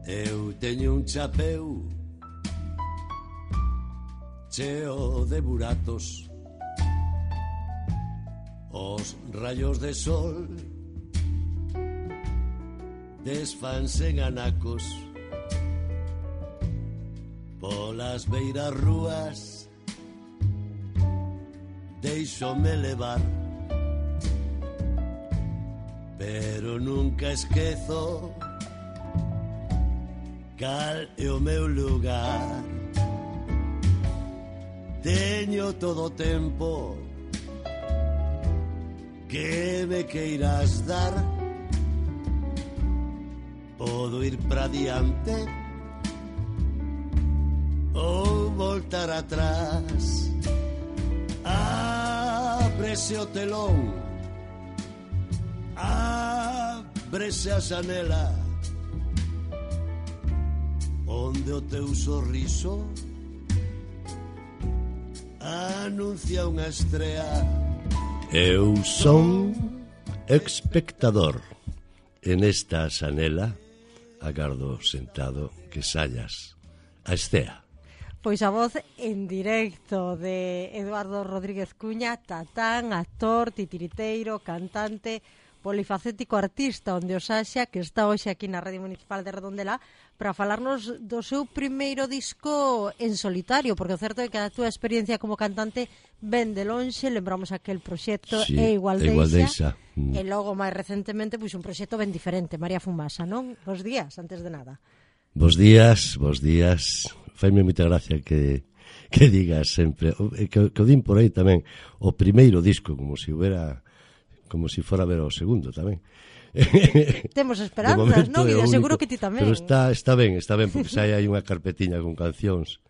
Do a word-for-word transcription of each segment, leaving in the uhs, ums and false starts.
Eu teño un chapeu cheo de buratos. Os rayos de sol desfanse en anacos. Polas beiras rúas deixome levar, pero nunca esquezo cal é o meu lugar. Teño todo o tempo que me queiras dar. Podo ir para diante ou voltar atrás. Ábrese o telón, ábrese a xanela, onde o teu sorriso anuncia unha estrea. Eu son espectador. En esta xanela agardo sentado que saias a estea. Pois a voz en directo de Eduardo Rodríguez Cuña, tatán, actor, titiriteiro, cantante, polifacético artista, onde os haxa, que está hoxe aquí na Radio Municipal de Redondela para falarnos do seu primeiro disco en solitario, porque o certo é que a túa experiencia como cantante ven de lonxe, lembramos aquel proxecto sí, E Igual Deixa, mm. e logo máis recentemente pois un proxecto ben diferente, María Fumasa, non? Bos días, antes de nada. Bos días, bos días. Faime moita gracia que que digas sempre, que, que o din por aí tamén, o primeiro disco, como se si hubiera, como se si fora ver o segundo tamén. Temos esperanzas, non? E seguro que ti tamén. Pero está, está ben, está ben, porque xa hai unha carpetiña con cancións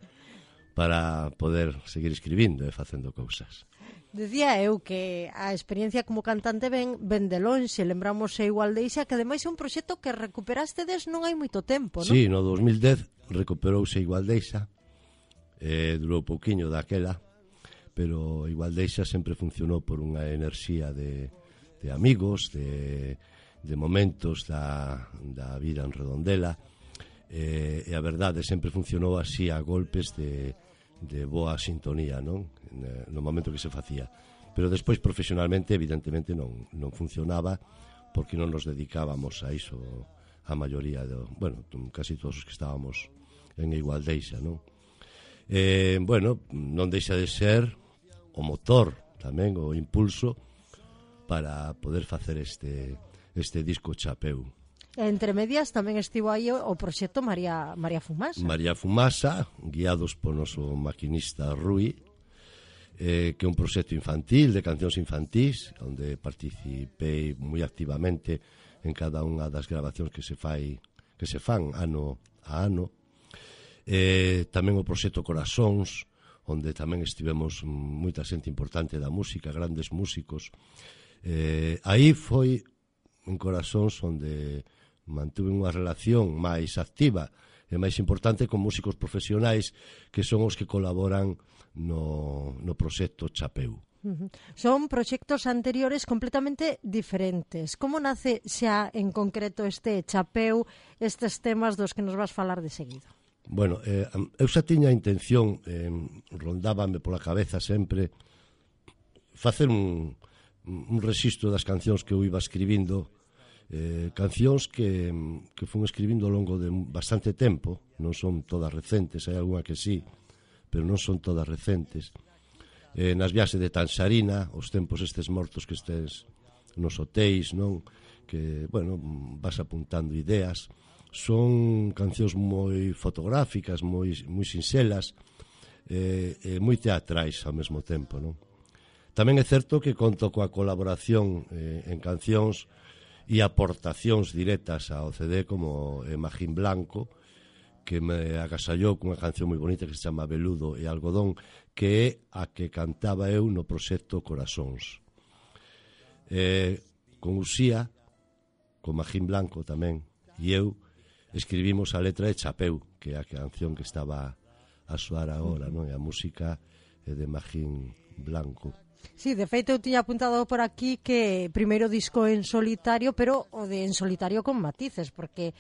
para poder seguir escribindo e facendo cousas. Decía eu que a experiencia como cantante ben, ben de lonxe, lembramos E Igual Deixa, que ademais é un proxecto que recuperastedes non hai moito tempo, non? Sí, no dos mil dez recuperouse Igual Deixa, eh, durou pouquiño daquela, pero Igual Deixa sempre funcionou por unha enerxía de, de amigos, de, de momentos da, da vida en Redondela, eh, e a verdade sempre funcionou así a golpes de de boa sintonía, non? No momento que se facía. Pero despois profesionalmente evidentemente non non funcionaba porque non nos dedicábamos a iso a maioría do, bueno, casi todos os que estábamos en Igual Deixa, non? Eh, bueno, non deixa de ser o motor tamén, o impulso para poder facer este este disco chapeu. Entre medias tamén estivo aí o proxecto María María Fumasa. María Fumasa, guiados por noso maquinista Rui, eh, que é un proxecto infantil, de cancións infantís, onde participei moi activamente en cada unha das grabacións que se fai, que se fan ano a ano. Eh, tamén o proxecto Corazóns, onde tamén estivemos moita xente importante da música, grandes músicos. Eh, aí foi en Corazóns onde mantuve unha relación máis activa e máis importante con músicos profesionais que son os que colaboran no, no proxecto Chapeu. Uh-huh. Son proxectos anteriores completamente diferentes. Como nace xa en concreto este Chapeu, estes temas dos que nos vas falar de seguido? Bueno, eh, eu xa tiña a intención, eh, rondábame pola cabeza sempre facer un, un rexistro das cancións que eu iba escribindo. Eh, cancións que, que fun escribindo ao longo de bastante tempo, non son todas recentes, hai algunha que sí, pero non son todas recentes. Eh, nas viaxes de Tanxarina, os tempos estes mortos que estes nos hotéis, non? Que, bueno, vas apuntando ideas. Son cancións moi fotográficas, moi, moi sinxelas, eh, e moi teatrais ao mesmo tempo, non? Tamén é certo que conto coa colaboración eh, en cancións e aportacións directas ao C D como Magín Blanco, que me agasallou cunha canción moi bonita que se chama Veludo e Algodón, que é a que cantaba eu no proxecto Corazóns. Eh, con Uxía, con Magín Blanco tamén, e eu escribimos a letra de Chapeu, que é a canción que estaba a soar agora, non? E a música é de Magín Blanco. Sí, de feito eu tiña apuntado por aquí que primeiro disco en solitario, pero o de en solitario con matices, porque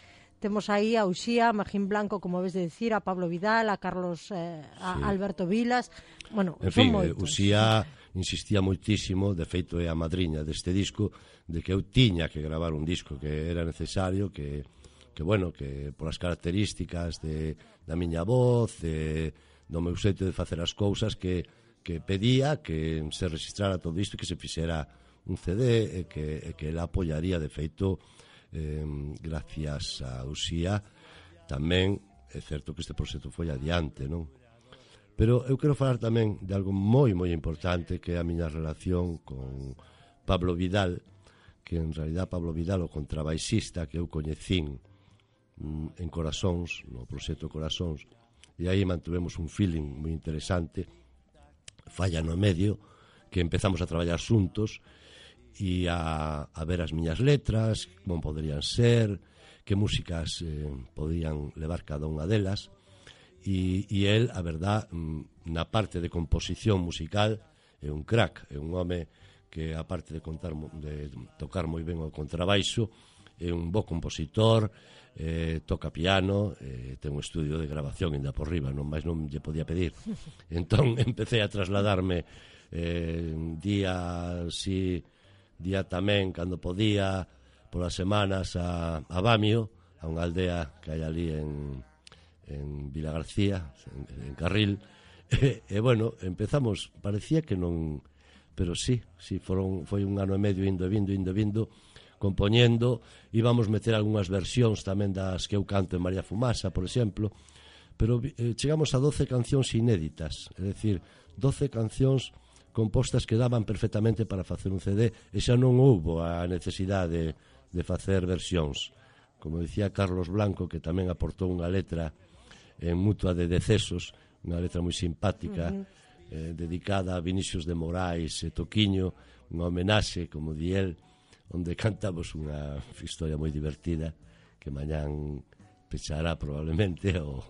temos aí a Uxía, a Magín Blanco, como ves de decir, a Pablo Vidal, a Carlos, eh, a sí. Alberto Vilas, bueno, en son fin, moitos. Uxía insistía moitísimo, de feito é a madriña deste disco, de que eu tiña que gravar un disco, que era necesario, que, que bueno, que polas características de, da miña voz, de, do meu xeito de facer as cousas, que, que pedía que se registrara todo isto, que se fixera un C D, e que, e que ela apoyaría, de feito, eh, gracias a Uxía, tamén é certo que este proxecto foi adiante, non? Pero eu quero falar tamén de algo moi, moi importante, que é a miña relación con Pablo Vidal, que en realidad Pablo Vidal, o contrabaixista que eu coñecín mm, en Corazóns, no proxecto Corazóns, e aí mantuvemos un feeling moi interesante, falla no medio, que empezamos a traballar xuntos, e a, a ver as miñas letras, como poderían ser, que músicas eh, podían levar cada unha delas, e, e el, a verdad, na parte de composición musical é un crack, é un home que, aparte de, contar, de tocar moi ben o contrabaixo, é un bo compositor, eh, toca piano, eh, ten un estudio de grabación ainda por riba, non máis non lle podía pedir. Entón empecé a trasladarme eh, día si día tamén, cando podía, polas semanas a, a Bamio, a unha aldea que hai ali en, en Vila García, en, en Carril, e, e bueno, empezamos, parecía que non, pero sí, sí, foron, foi un ano e medio indo e vindo, indo e vindo, compoñendo, íbamos meter algunhas versións tamén das que eu canto en María Fumasa, por exemplo, pero eh, chegamos a doce cancións inéditas, é dicir, doce cancións compostas que daban perfectamente para facer un C D, e xa non houbo a necesidade de, de facer versións. Como dicía Carlos Blanco, que tamén aportou unha letra en Mutua de Decesos, unha letra moi simpática, uh-huh. eh, dedicada a Vinicius de Moraes e Toquiño, unha homenaxe, como di el, onde cantamos unha historia moi divertida, que mañán pechará probablemente o,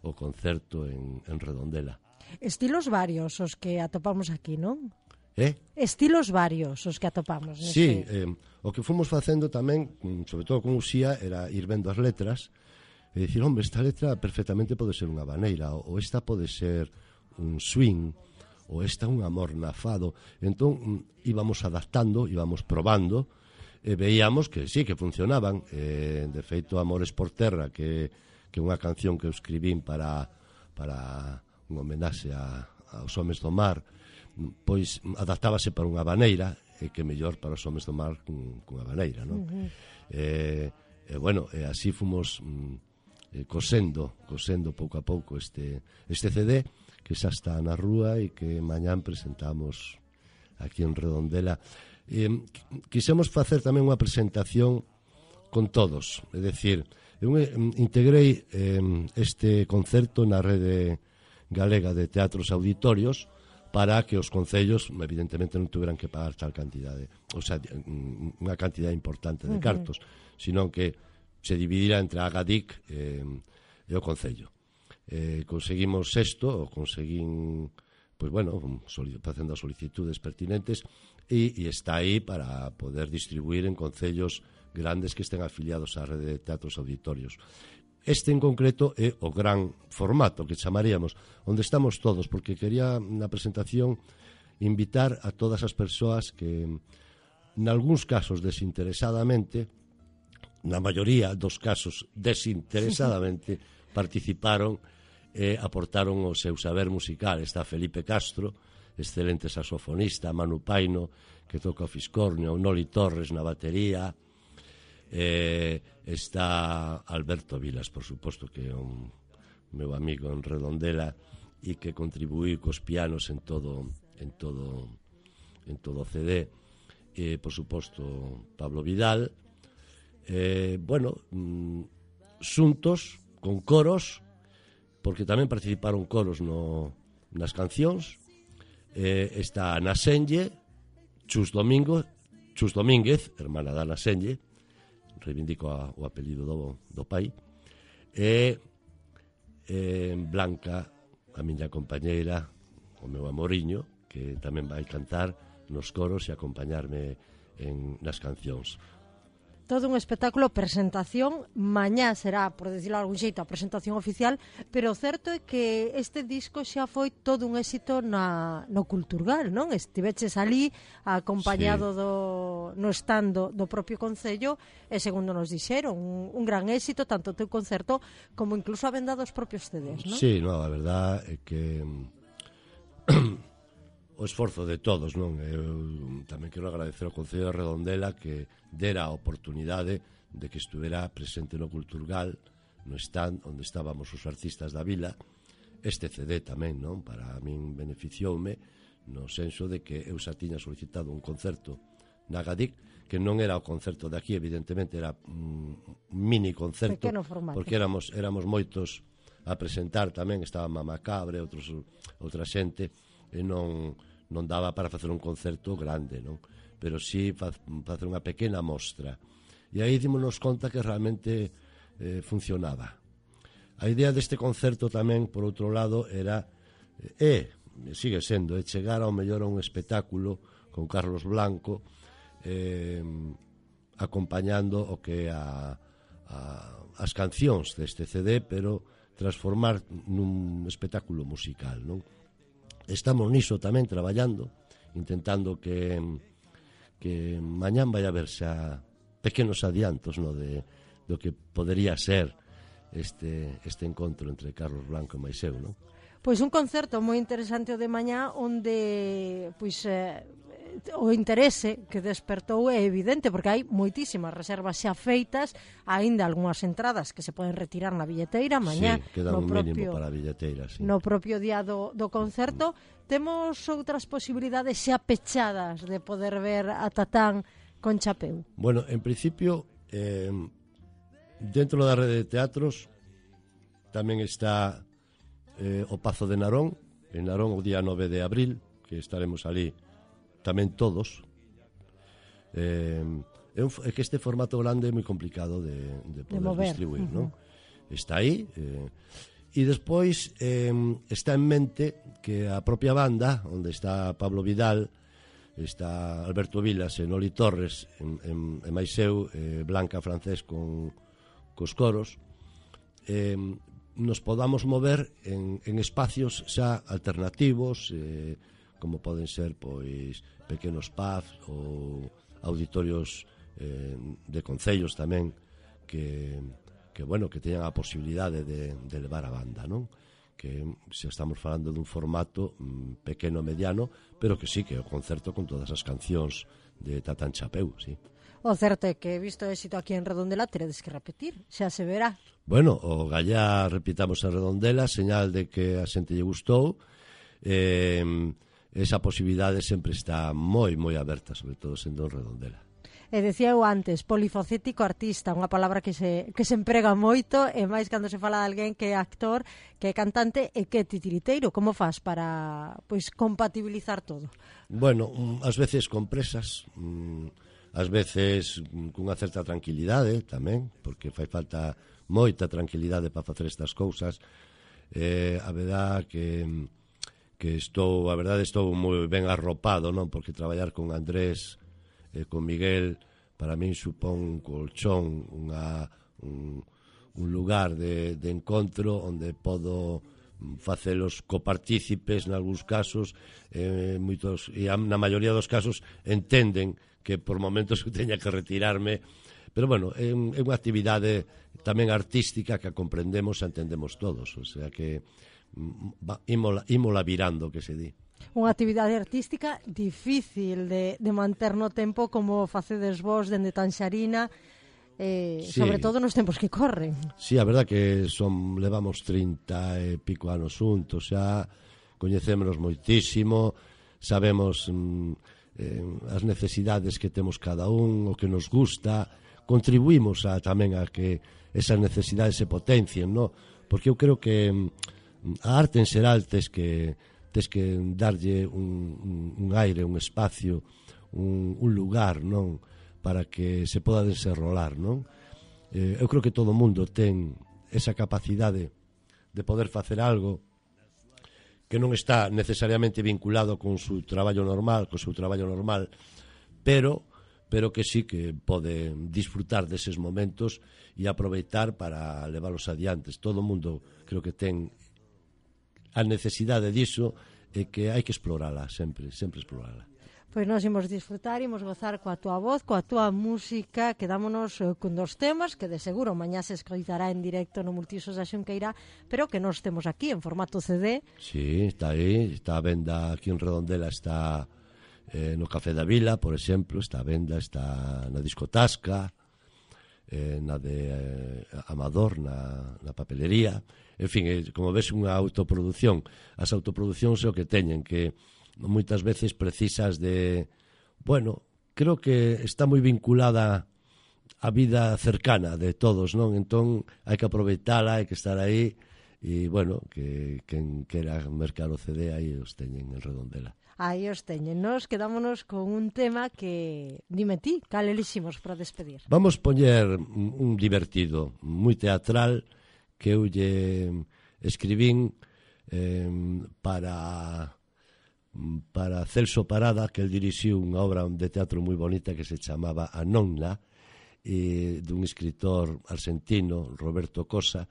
o concerto en, en Redondela. Estilos varios os que atopamos aquí, non? Eh? Estilos varios os que atopamos. Neste... Sí, eh, o que fomos facendo tamén, sobre todo con Uxía, era ir vendo as letras e dicir, hombre, esta letra perfectamente pode ser unha vaneira, ou esta pode ser un swing, ou esta un amor nafado. Entón íbamos adaptando, íbamos probando, e veíamos que sí, que funcionaban. Eh, de feito, Amores por Terra, que é unha canción que eu escribín para... para un homenaxe a, aos homes do mar, pois adaptábase para unha vaneira, e que mellor para os homes do mar cun, cunha vaneira, non? Uh-huh. E, e bueno, e así fomos mm, cosendo, cosendo pouco a pouco este, este C D, que xa está na rúa e que mañán presentamos aquí en Redondela. E, quisemos facer tamén unha presentación con todos, é dicir, eu integrei eh, este concerto na rede galega de teatros auditorios para que os concellos evidentemente non tuveran que pagar tal cantidade, o sea, unha cantidade importante de cartos, uh-huh. sino que se dividira entre a Agadic eh, e o concello. Eh, conseguimos isto, o conseguín, pois bueno, facendo as solicitudes pertinentes, e, e está aí para poder distribuir en concellos grandes que estén afiliados á rede de teatros auditorios. Este en concreto é o gran formato que chamaríamos, onde estamos todos, porque quería na presentación invitar a todas as persoas que, nalgúns casos desinteresadamente, na maioría dos casos desinteresadamente, participaron e aportaron o seu saber musical. Está Felipe Castro, excelente saxofonista, Manu Paino, que toca o fiscornio, Noli Torres na batería, Eh, está Alberto Vilas, por suposto, que é un meu amigo en Redondela e que contribuí cos pianos en todo en todo en todo o C D, e por suposto Pablo Vidal, eh, bueno, mm, xuntos con coros, porque tamén participaron coros no, nas cancións. Eh, está Ana Senlle, Chus Domingo, Chus Domínguez, hermana da Ana Senlle, reivindico a, o apelido do, do pai, e e Blanca, a miña compañeira, o meu amoriño, que tamén vai cantar nos coros e acompañarme en, nas cancións. todo un espectáculo, presentación, mañá será, por decirlo de algún xeito, a presentación oficial, pero o certo é que este disco xa foi todo un éxito na, no Culturgal, non? Estiveches ali acompañado sí. do, no stand do, do propio Concello e segundo nos dixeron, un, un gran éxito, tanto o teu concerto como incluso a venda dos propios C Ds, non? Sí, no, a verdad é que o esforzo de todos, non? Eu tamén quero agradecer ao Concello de Redondela que dera a oportunidade de que estuvera presente no Culturgal, no stand onde estábamos os artistas da vila. Este C D tamén, non? Para min beneficioume no senso de que eu xa tiña solicitado un concerto na Gadic, que non era o concerto de aquí, evidentemente era un mini concerto, porque éramos, éramos moitos a presentar tamén, estaba Mama Cabre, outros, outra xente, e non, non daba para facer un concerto grande, non? Pero sí fa, facer unha pequena mostra. E aí dimos conta que realmente eh, funcionaba. A idea deste concerto tamén, por outro lado, era, e eh, sigue sendo, é chegar ao mellor a un espectáculo con Carlos Blanco, eh, acompañando o que a, a, as cancións deste C D, pero transformar nun espectáculo musical, non? Estamos niso tamén traballando, intentando que que mañán vai haber xa pequenos adiantos, no, de do que podería ser este este encontro entre Carlos Blanco e máis eu, non? Pois un concerto moi interesante o de mañá onde pois eh, o interese que despertou é evidente porque hai moitísimas reservas xa feitas, aínda algunhas entradas que se poden retirar na billeteira mañá, sí, queda un propio, mínimo para a billeteira, sí. No propio día do, do concerto. Temos outras posibilidades xa pechadas de poder ver a Tatán con Chapeu? Bueno, en principio eh, dentro da rede de teatros tamén está eh, o Pazo de Narón, en Narón o día nove de abril, que estaremos ali tamén todos. Eh, é, un, é que este formato grande é moi complicado de, de poder de distribuir, uh-huh. non? Está aí, eh, e despois eh, está en mente que a propia banda, onde está Pablo Vidal, está Alberto Vilas e Noli Torres, en, en, en máis eu, eh, Blanca Francés con cos coros, eh, nos podamos mover en, en espacios xa alternativos, eh, como poden ser pois pequenos pubs ou auditorios eh, de concellos tamén que, que bueno, que teñan a posibilidade de, de levar a banda, non? Que se estamos falando dun formato mm, pequeno mediano, pero que sí, que é o concerto con todas as cancións de Tatán Chapeu, sí. O certo é que, visto éxito aquí en Redondela, teredes que repetir, xa se verá. Bueno, o gallá repitamos en Redondela, señal de que a xente lle gustou. Eh, esa posibilidade sempre está moi, moi aberta, sobre todo sendo Redondela. E decía eu antes, polifacético artista, unha palabra que se, que se emprega moito, e máis cando se fala de alguén que é actor, que é cantante e que é titiriteiro. Como faz para pois compatibilizar todo? Bueno, ás veces con presas, ás veces cunha certa tranquilidade tamén, porque fai falta moita tranquilidade para facer estas cousas. Eh, a verdade que que estou, a verdade estou moi ben arropado, non? Porque traballar con Andrés e con Miguel para min supón un colchón, unha, un, un lugar de, de encontro onde podo facelos copartícipes nalgúns casos, eh, moitos, e na maioría dos casos entenden que por momentos eu teña que retirarme, pero bueno, é, un, é unha actividade tamén artística que a comprendemos e entendemos todos, o sea que imola, imola virando, que se di. Unha actividade artística difícil de, de manter no tempo como facedes vos dende Tanxarina, eh, sí. Sobre todo nos tempos que corren. Sí, a verdad que son levamos trinta e pico anos xuntos, xa coñecémonos moitísimo, sabemos mm, eh, as necesidades que temos cada un, o que nos gusta, contribuímos a, tamén a que esas necesidades se potencien, no? Porque eu creo que a arte en xeral tes que tes que darlle un, un, un aire, un espacio, un, un lugar, non? Para que se poda desenrolar, non? Eh, eu creo que todo o mundo ten esa capacidade de poder facer algo que non está necesariamente vinculado con o seu traballo normal, co seu traballo normal, pero pero que sí que pode disfrutar deses momentos e aproveitar para leválos adiantes. Todo o mundo creo que ten a necesidade diso e que hai que explorala sempre, sempre explorala. Pois nós imos disfrutar, imos gozar coa túa voz, coa túa música, quedámonos eh, con dos temas que de seguro mañá se escoitará en directo no Multiusos da Xunqueira, pero que nós temos aquí en formato C D. Sí, está aí, está a venda aquí en Redondela, está eh, no Café da Vila, por exemplo, está a venda, está na Discotasca, eh, na de eh, Amador, na, na papelería. En fin, eh, como ves, unha autoproducción. As autoproduccións é o que teñen, que moitas veces precisas de... Bueno, creo que está moi vinculada a vida cercana de todos, non? Entón, hai que aproveitala, hai que estar aí, e, bueno, que quen quera mercar o C D, aí os teñen en Redondela. Aí os teñen. Nos quedámonos con un tema que... Dime ti, cal eliximos para despedir? Vamos poñer un divertido, moi teatral, que eu lle escribín eh, para... para Celso Parada, que el dirixiu unha obra de teatro moi bonita que se chamaba A Nonna, e dun escritor argentino, Roberto Cosa,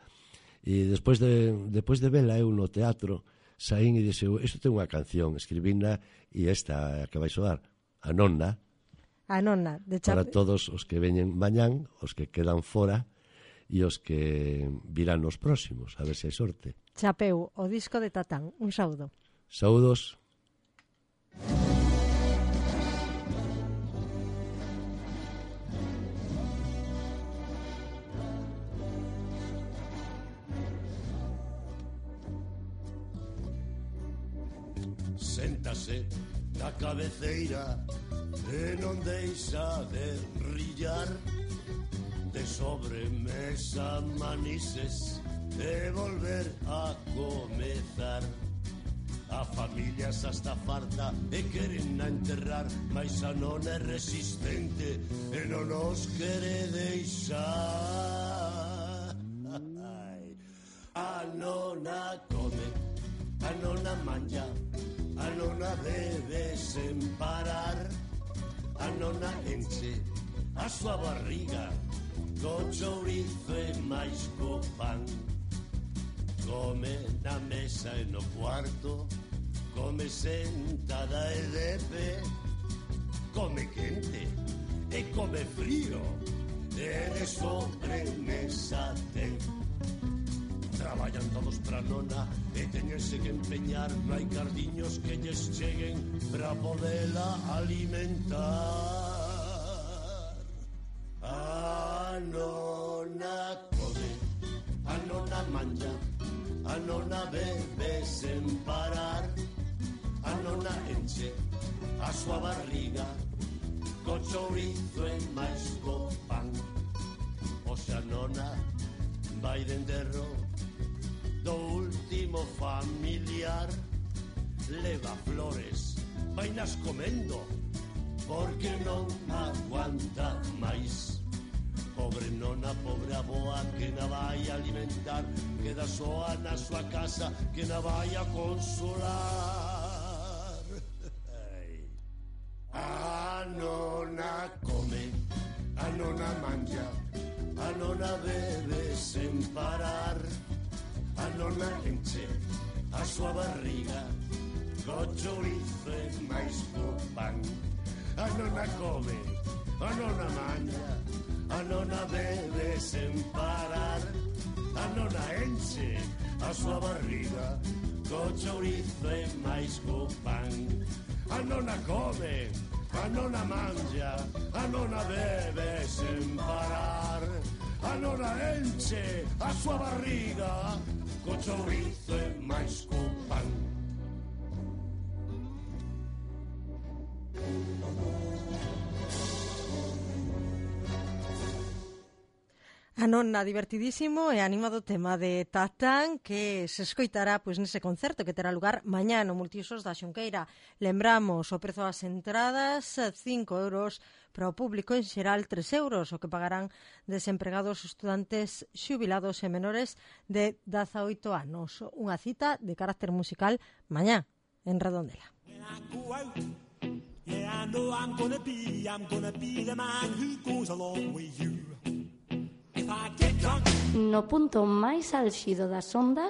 e despois de, despois de vela eu no teatro saín e dixeu, isto ten unha canción, escribina, e esta que vai soar, A Nonna, A Nonna de Chape... para todos os que veñen mañán, os que quedan fora e os que virán nos próximos, a ver se hai sorte. Chapeu, o disco de Tatán. Un saúdo. Saúdos. Séntase na cabeceira e non deixa de rillar, de sobremesa manises e volver a comezar. A familia xa está farta e queren a enterrar, mais a non é resistente e non nos quere deixar. A nona come, a nona manja, a nona bebe sen parar, a nona enche a súa barriga co chourizo e máis co pan. Come na mesa e no cuarto, come sentada e de pé, come quente e come frío, e de sobremesa ten. Traballan todos pra nona e teñense que empeñar, non hai cardiños que lles cheguen pra podela alimentar. A nona come, a nona manja, a nona bebe sen parar, a nona enche a súa barriga co chourizo e máis co pan. O xa nona vai de enterro do último familiar, leva flores, vainas comendo, porque non aguanta máis. Pobre nona, pobre aboa, que na vai alimentar, queda soa na súa casa, que na vai a consolar. A nona come, a nona manja, a nona bebe sen parar, a nona enche a súa barriga co chourizo e máis co pan. A nona come, a nona manja, a nona bebe sen parar, a nona enche a súa barriga co chourizo e máis co pan. A nona come, a nona manja, a nona bebe sen parar, a nona enche a súa barriga co chourizo e máis co pan. A nonna, divertidísimo e animado tema de Tatán que se escoitará pois nese concerto que terá lugar mañá no Multiusos da Xunqueira. Lembramos o prezo das entradas, cinco euros para o público, en xeral tres euros, o que pagarán desempregados, estudantes, xubilados e menores de dezaoito anos. Unha cita de carácter musical mañá en Redondela. Yeah, I know I'm gonna be, I'm gonna be the man who goes along with you. If I get drunk. No punto máis álxido das ondas,